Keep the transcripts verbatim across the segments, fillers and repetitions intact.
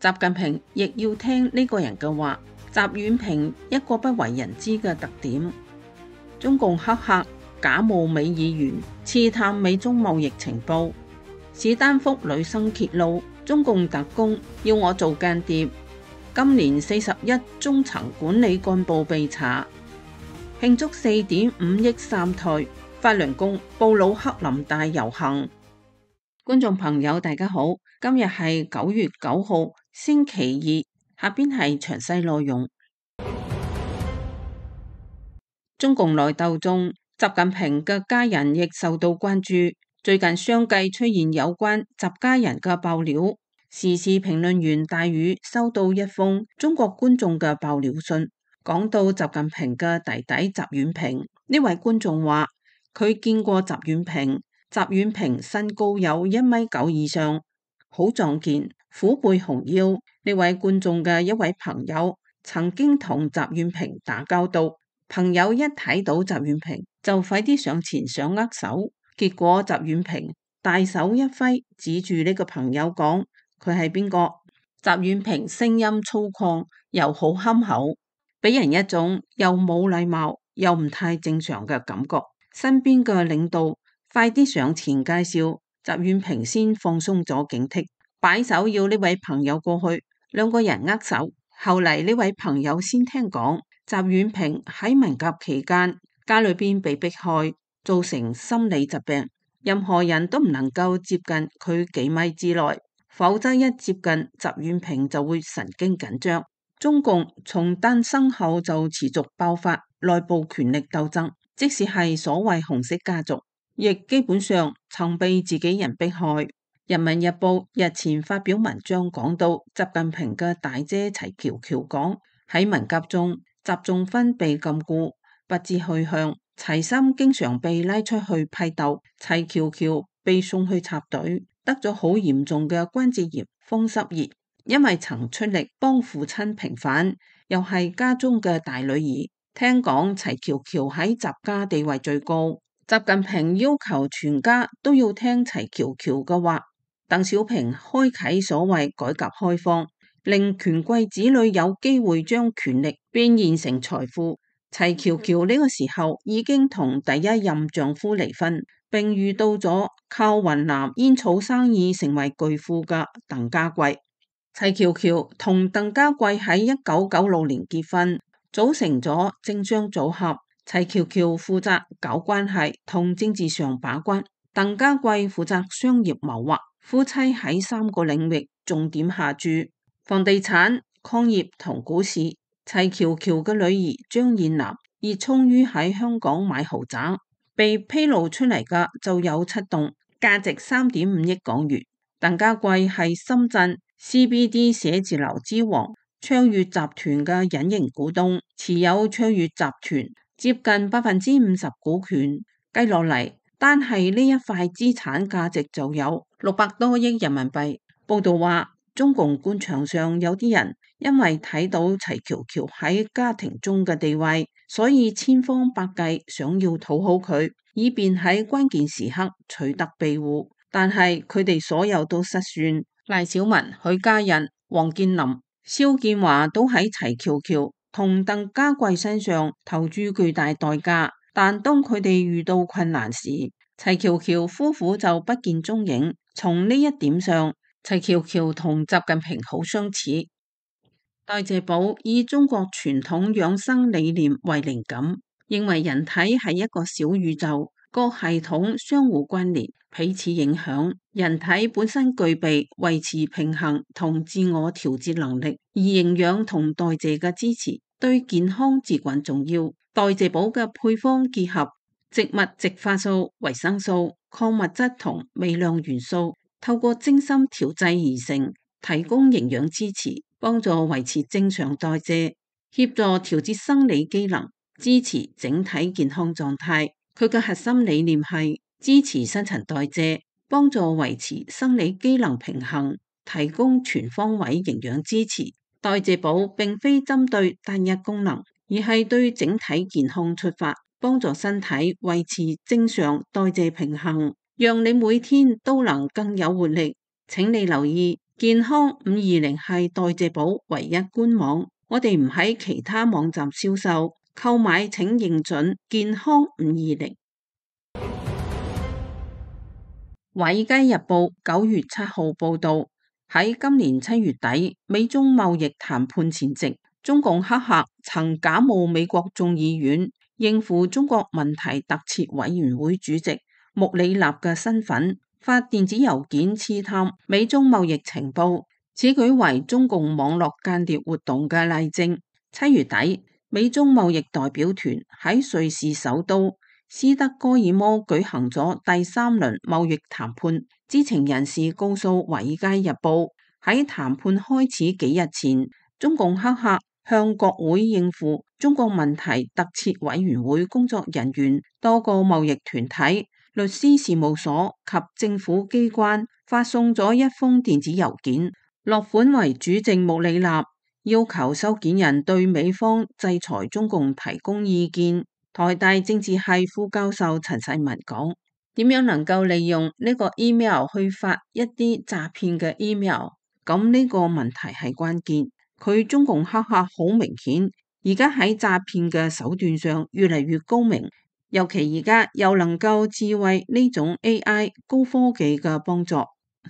習近平亦要聽呢個人嘅話。習遠平一個不為人知嘅特點，中共黑客假冒美議員，刺探美中貿易情報。史丹福女生揭露，中共特工要我做間諜。今年四十一中層管理幹部被查。慶祝四點五億三退，法輪功布魯克林大遊行。觀眾朋友大家好，今日係九月九號星期二。下邊係詳細內容。中共內鬥中，習近平嘅家人亦受到關注。最近相繼出現有關習家人嘅爆料。時事評論員大宇收到一封中國觀眾嘅爆料信，講到習近平嘅弟弟習遠平。呢位觀眾話佢見過習遠平，習遠平身高有一米九以上，好壯健，虎背熊腰。呢位觀眾嘅一位朋友曾經同習遠平打交道，朋友一睇到習遠平就快啲上前想握手，結果習遠平大手一揮，指住呢個朋友講佢係邊個？習遠平聲音粗獷又好憨厚，俾人一種又冇禮貌又唔太正常嘅感覺。身邊嘅領導快啲上前介紹，習遠平先放鬆咗警惕，擺手要呢位朋友過去。兩個人握手，後嚟呢位朋友先聽講，習遠平喺文革期間家裏邊被迫害，造成心理疾病，任何人都唔能夠接近佢幾米之內，否則一接近習遠平就會神經緊張。中共從誕生後就持續爆發內部權力鬥爭，即使係所謂紅色家族，亦基本上曾被自己人迫害。人民日報日前發表文章講到，習近平嘅大姐齊喬喬講喺文革中，習仲勳被禁錮，不知去向，齊森經常被拉出去批鬥，齊喬喬被送去插隊，得咗好嚴重嘅關節炎、風濕熱，因為曾出力幫父親平反，又係家中嘅大女兒。聽講齊喬喬喺習家地位最高，習近平要求全家都要聽齊喬喬嘅話。鄧小平開啟所謂改革開放，令權貴子女有機會將權力變現成財富。齊喬喬呢個時候已經同第一任丈夫離婚，並遇到咗靠雲南煙草生意成為巨富嘅鄧家貴。齊喬喬同鄧家貴喺一九九六年結婚，組成咗政商組合。齊喬喬負責搞關係同政治上把關，鄧家貴負責商業謀劃。夫妻喺三個領域重點下注：房地產、礦業同股市。齊喬喬嘅女兒張燕南熱衷於喺香港買豪宅，被披露出嚟嘅就有七棟，價值三點五億港元。鄧家貴係深圳 C B D 寫字樓之王卓越集團嘅隱形股東，持有卓越集團接近百分之五十股權。計落嚟，單係呢一塊資產價值就有六百多億人民幣。報道話，中共官場上有啲人因為睇到齊喬喬喺家庭中嘅地位，所以千方百計想要討好佢，以便喺關鍵時刻取得庇護。但係佢哋所有都失算。賴小民、許家印、王健林、肖建華都喺齊喬喬同鄧家貴身上投注巨大代價。但當佢哋遇到困難時，齊喬喬夫婦就不見蹤影。從呢一點上，齊喬喬同習近平好相似。代謝寶以中國傳統養生理念為靈感，認為人體係一個小宇宙，各系統相互關聯，彼此影響。人體本身具備維持平衡同自我調節能力，而營養同代謝嘅支持對健康至關重要。代謝寶嘅配方結合植物植化素、維生素、礦物質同微量元素，透過精心調製而成，提供營養支持，幫助維持正常代謝，協助調節生理機能，支持整體健康狀態。佢嘅核心理念係支持新陳代謝，幫助維持生理機能平衡，提供全方位營養支持。代謝寶並非針對單一功能，而係對整體健康出發，幫助身體維持正常代謝平衡，讓你每天都能更有活力。請你留意健康五二零係代謝寶唯一官網，我哋唔喺其他網站銷售，購買請認準健康五二零。華爾街日報九月七號報道，喺今年七月底，美中貿易談判前夕，中共黑客曾假冒美國眾議院應付中國問題特設委員會主席穆里納嘅身份，發電子郵件刺探美中貿易情報，此舉為中共網絡間諜活動嘅例證。七月底，美中貿易代表團喺瑞士首都斯德哥爾摩舉行咗第三輪貿易談判。知情人士告訴《華爾街日報》，喺談判開始幾日前，中共黑客向國會應付中國問題特設委員會工作人員、多個貿易團體、律師事務所及政府機關發送咗一封電子郵件，落款為主席穆里納，要求收件人對美方制裁中共提供意見。台大政治系副教授陳世文講：點樣能夠利用呢個 email 去發一啲詐騙嘅 email？ 咁呢個問題係關鍵。佢中共黑客好明顯，而家喺詐騙嘅手段上越嚟越高明，尤其而家又能夠智慧呢種 A I 高科技嘅幫助，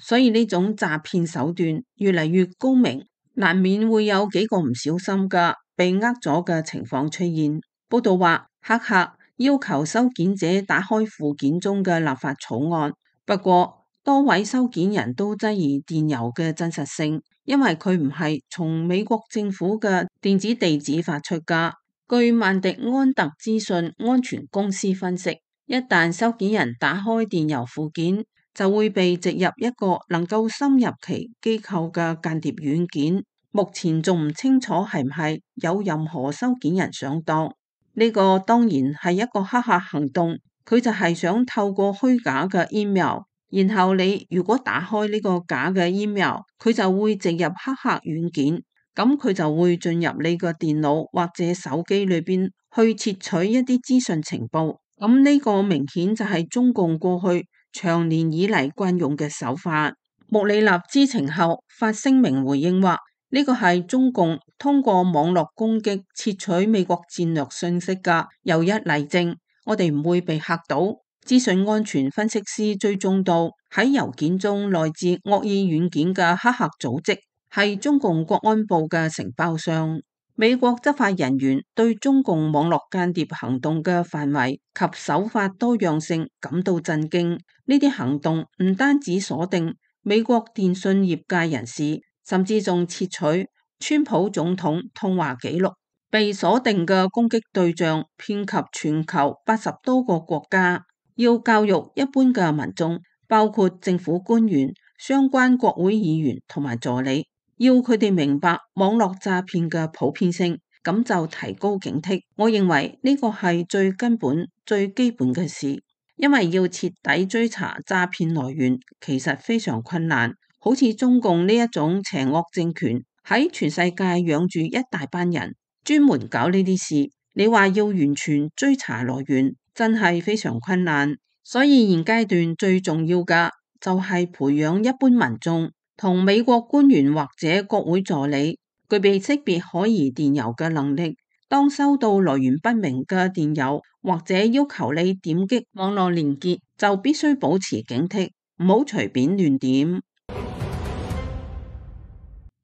所以呢種詐騙手段越嚟越高明，難免會有幾個唔小心嘅被呃咗嘅情況出現。報道話，黑客要求收件者打開附件中嘅立法草案，不過多位收件人都質疑電郵嘅真實性，因為佢唔係從美國政府嘅電子地址發出㗎。據曼迪安特資訊安全公司分析，一旦收件人打開電郵附件，就會被植入一個能夠深入其機構嘅間諜軟件。目前仲唔清楚係唔係有任何收件人上當。呢個當然係一個黑客行動，佢就係想透過虛假嘅 email， 然後你如果打開呢個假嘅 email， 佢就會植入黑客軟件，咁佢就會進入你個電腦或者手機裏邊去竊取一啲資訊情報。咁呢個明顯就係中共過去長年以嚟慣用嘅手法。穆里納知情後發聲明回應話，呢個係中共通過網絡攻擊竊取美國戰略信息嘅又一例證，我哋唔會被嚇到。資訊安全分析師追蹤到喺郵件中來自惡意軟件嘅黑客組織係中共國安部嘅承包商。美國執法人員對中共網絡間諜行動嘅範圍及手法多樣性感到震驚。呢啲行動唔單止鎖定美國電信業界人士，甚至仲竊取川普總統通話記錄，被鎖定嘅攻擊對象遍及全球八十多個國家。要教育一般嘅民眾，包括政府官員、相關國會議員同埋助理，要佢哋明白網絡詐騙嘅普遍性，咁就提高警惕。我認為呢個係最根本、最基本嘅事，因為要徹底追查詐騙來源，其實非常困難。好似中共呢一種邪惡政權喺全世界養住一大班人，專門搞呢啲事，你話要完全追查來源，真係非常困難。所以現階段最重要嘅就係培養一般民眾同美國官員或者國會助理具備識別可疑電郵嘅能力。當收到來源不明嘅電郵或者要求你點擊網絡連結，就必須保持警惕，唔好隨便亂點。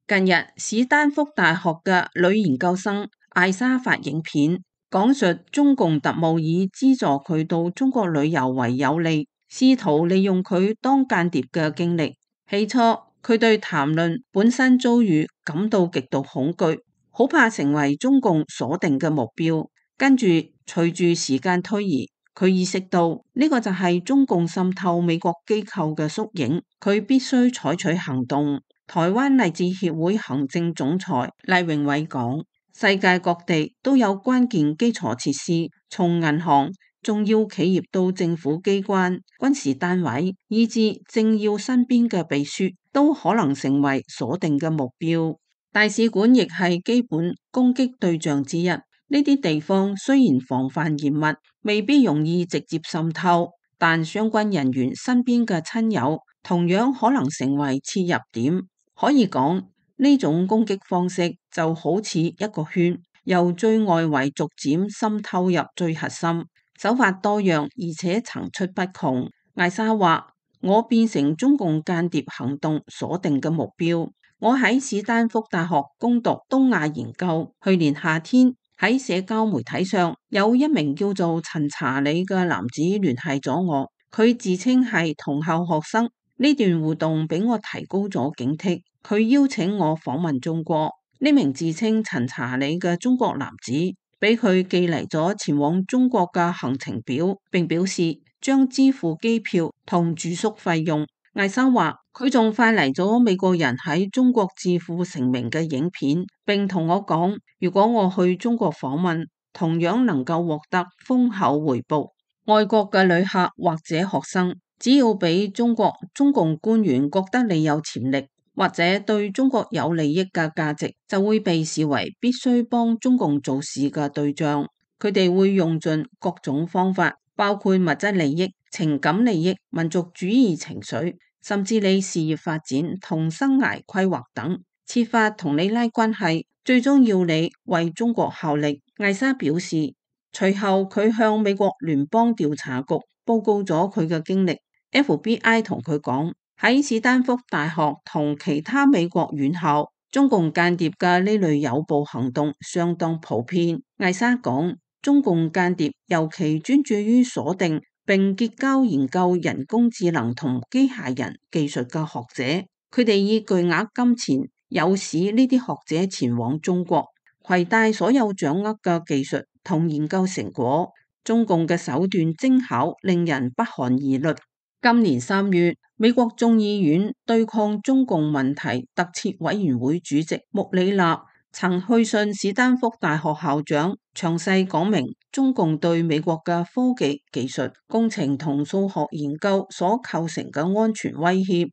近日，史丹福大學嘅女研究生艾莎發影片，講述中共特務以資助佢到中國旅遊為有利，試圖利用佢當間諜嘅經歷。起初，佢對談論本身遭遇感到極度恐懼，好怕成為中共鎖定嘅目標。跟住，隨住時間推移，佢意識到呢個就係中共滲透美國機構嘅縮影，佢必須採取行動。台灣勵志協會行政總裁賴榮偉講，世界各地都有關鍵基礎設施，從銀行、重要企業到政府機關、軍事單位，以至政要身邊嘅秘書，都可能成為鎖定嘅目標。大使館亦係基本攻擊對象之一。呢啲地方雖然防範嚴密，未必容易直接滲透，但相關人員身邊嘅親友同樣可能成為切入點。可以講呢種攻擊方式就好似一個圈，由最外圍逐漸滲透入最核心，手法多樣而且層出不窮。艾莎話：我變成中共間諜行動鎖定嘅目標。我喺史丹福大學攻讀東亞研究，去年夏天喺社交媒體上有一名叫做陳查理嘅男子聯繫咗我，佢自稱係同校學生。呢段互動俾我提高咗警惕，佢邀請我訪問中國。呢名自稱陳查理嘅中國男子俾佢寄嚟咗前往中國嘅行程表，並表示將支付機票同住宿費用。艾莎話佢仲發嚟咗美國人喺中國致富成名嘅影片，並同我講，如果我去中國訪問，同樣能夠獲得豐厚回報。外國嘅旅客或者學生，只要俾中國中共官員覺得你有潛力，或者對中國有利益嘅價值，就會被視為必須幫中共做事嘅對象。佢哋會用盡各種方法，包括物質利益、情感利益、民族主義情緒，甚至你事業發展同生涯規劃等，設法同你拉關係，最終要你為中國效力。艾莎表示，隨後佢向美國聯邦調查局報告咗佢嘅經歷。F B I 同佢講，喺史丹福大學同其他美國院校，中共間諜嘅呢類誘捕行動相當普遍。艾莎講，中共間諜尤其專注於鎖定並結交研究人工智能同機械人技術嘅學者，佢哋以巨額金錢誘使呢啲學者前往中國，攜帶所有掌握嘅技術同研究成果。中共嘅手段精巧，令人不寒而慄。今年三月，美國眾議院對抗中共問題特設委員會主席穆里納曾去信史丹福大學校長，詳細講明中共對美國嘅科技、技術、工程同數學研究所構成嘅安全威脅。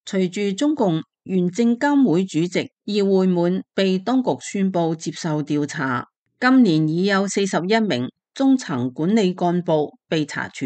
隨住中共原證監會主席葉會滿被當局宣布接受調查，今年已有四十一名中層管理幹部被查處，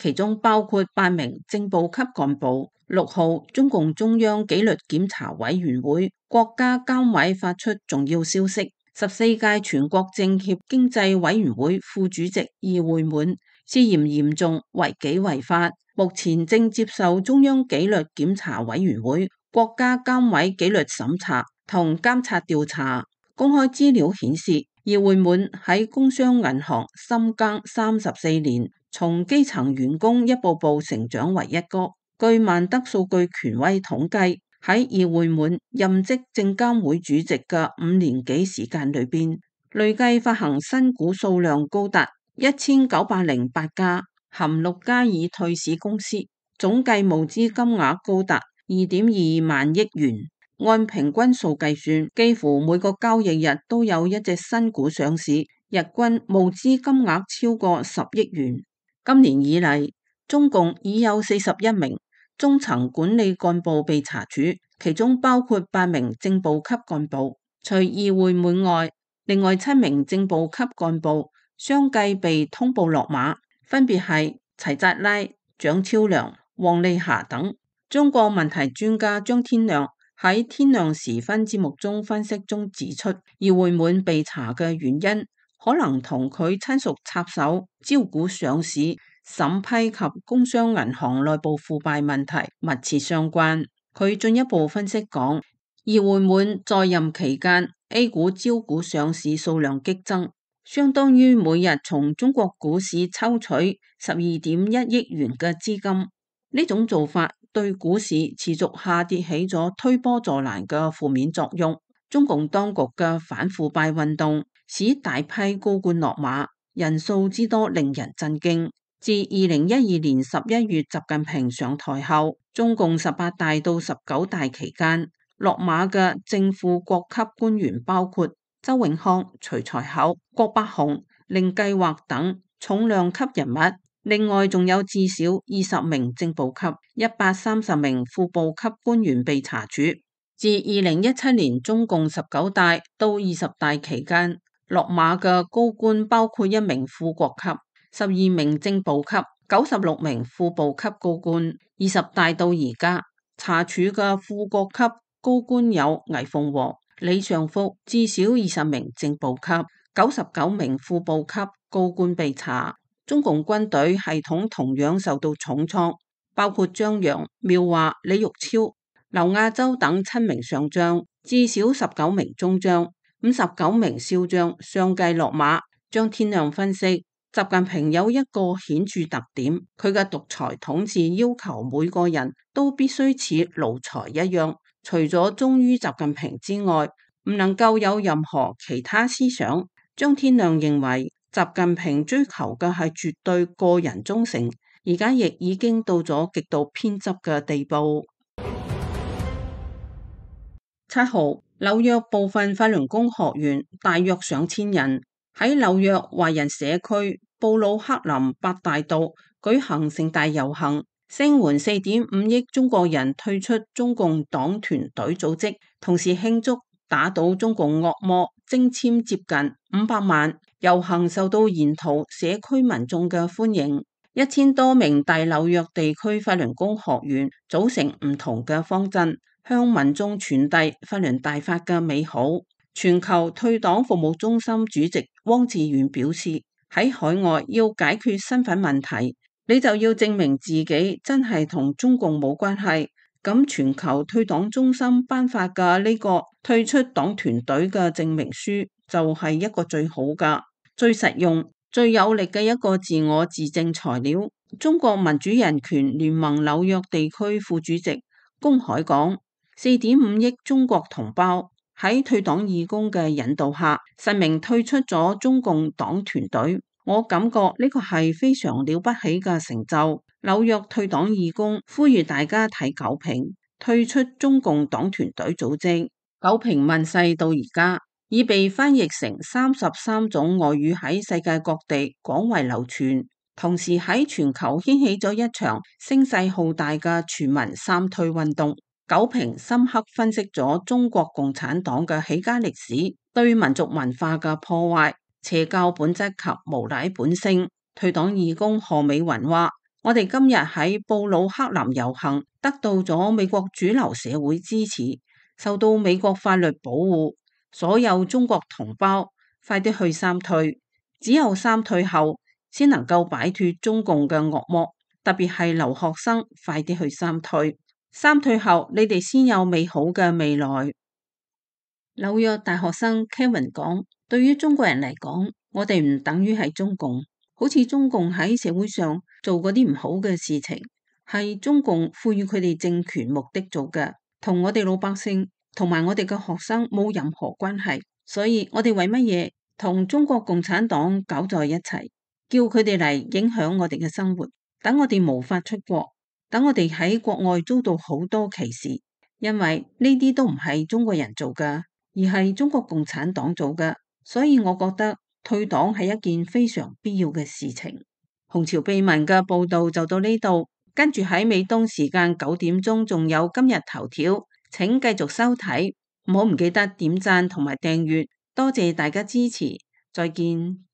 其中包括八名正部級幹部。六號，中共中央紀律檢查委員會、國家監委發出重要消息，十四屆全國政協經濟委員會副主席葉會滿涉嫌嚴重違紀違法，目前正接受中央紀律檢查委員會、國家監委紀律審查同監察調查。公開資料顯示，葉會滿喺工商銀行深耕三十四年，從基層員工一步步成長為一哥。據萬德數據權威統計，喺葉會滿任職證監會主席嘅五年幾時間裏邊，累計發行新股數量高達一千九百零八家，含六家已退市公司，總計募資金額高達二點二萬億元。按平均數計算，幾乎每個交易日都有一隻新股上市，日均募資金額超過十億元。今年以嚟，中共已有四十一名中層管理幹部被查處，其中包括八名正部級幹部。除葉會滿外，另外七名正部級幹部相繼被通報落馬，分別係齊扎拉、蔣超良、王利霞等。中國問題專家張天亮喺天亮時分節目中分析中指出，葉會滿被查嘅原因可能同佢親屬插手招股上市、審批及工商銀行內部腐敗問題密切相關。佢進一步分析講，葉會滿在任期間 A 股招股上市數量激增，相當於每日從中國股市抽取十二點一億元嘅資金。呢種做法對股市持續下跌起咗推波助瀾嘅負面作用。中共當局嘅反腐敗運動使大批高官落馬，人數之多令人震驚。自二零一二年十一月習近平上台後，中共十八大到十九大期間落馬嘅正副國級官員包括周永康、徐才厚、郭伯雄、令計劃等重量級人物，另外仲有至少二十名正部級、一百三十名副部級官員被查處。自二零一七年中共十九大到二十大期間，落馬嘅高官包括一名副國級、十二名正部級、九十六名副部級高官。二十大到而家，查處嘅副國級高官有魏鳳和、李尚福，至少二十名正部級、九十九名副部級高官被查。中共軍隊系統同樣受到重創，包括張陽、繆華、李玉超、劉亞洲等七名上將，至少十九名中將、五十九名少將相繼落馬。張天亮分析，習近平有一個顯著特點，佢嘅獨裁統治要求每個人都必須似奴才一樣，除咗忠於習近平之外，唔能夠有任何其他思想。張天亮認為，習近平追求嘅係絕對個人忠誠，而家亦已經到咗極度偏執嘅地步。七號，紐約部分法輪功學員大約上千人喺紐約華人社區布魯克林八大道舉行盛大遊行，聲援四點五億中國人退出中共黨團隊組織，同時慶祝打倒中共惡魔，徵簽接近五百萬。遊行受到沿途社區民眾嘅歡迎，一千多名大紐約地區法輪功學員組成唔同嘅方陣，向民眾傳遞法輪大法嘅美好。全球退黨服務中心主席汪志遠表示，喺海外要解決身份問題，你就要證明自己真係同中共冇關係。咁全球退黨中心頒發嘅呢個退出黨團隊嘅證明書就係一個最好㗎、最實用、最有力嘅一個自我自證材料。中國民主人權聯盟紐約地區副主席龔海講，四點五億中國同胞喺退黨義工嘅引導下，實名退出咗中共黨團隊。我感覺呢個係非常了不起嘅成就。紐約退黨義工呼籲大家睇九評，退出中共黨團隊組織。九評問世到而家，已被翻譯成三十三種外語，喺世界各地廣為流傳，同時喺全球掀起咗一場聲勢浩大嘅全民三退運動。九評深刻分析咗中國共產黨嘅起家歷史，對民族文化嘅破壞、邪教本質及無賴本性。退黨義工何美雲話，我哋今日喺布魯克林遊行，得到咗美國主流社會支持，受到美國法律保護。所有中國同胞，快啲去三退，只有三退後，先能夠擺脫中共嘅惡魔。特別係留學生，快啲去三退，三退後你哋先有美好嘅未來。紐約大學生 Kevin 講，對於中國人嚟講，我哋唔等於係中共。好似中共喺社會上做嗰啲唔好嘅事情，係中共賦予佢哋政權目的做嘅，同我哋老百姓同埋我哋嘅學生冇任何關係。所以我哋為乜嘢同中國共產黨搞在一齊，叫佢哋嚟影響我哋嘅生活，等我哋無法出國，等我哋喺國外遭到好多歧視，因為呢啲都唔係中國人做嘅，而係中國共產黨做嘅。所以我覺得退黨係一件非常必要嘅事情。紅潮秘聞嘅報道就到呢度，跟住喺美東時間九點鐘仲有今日頭條，請繼續收睇，唔好唔記得點讚同埋訂閱，多謝大家支持，再見。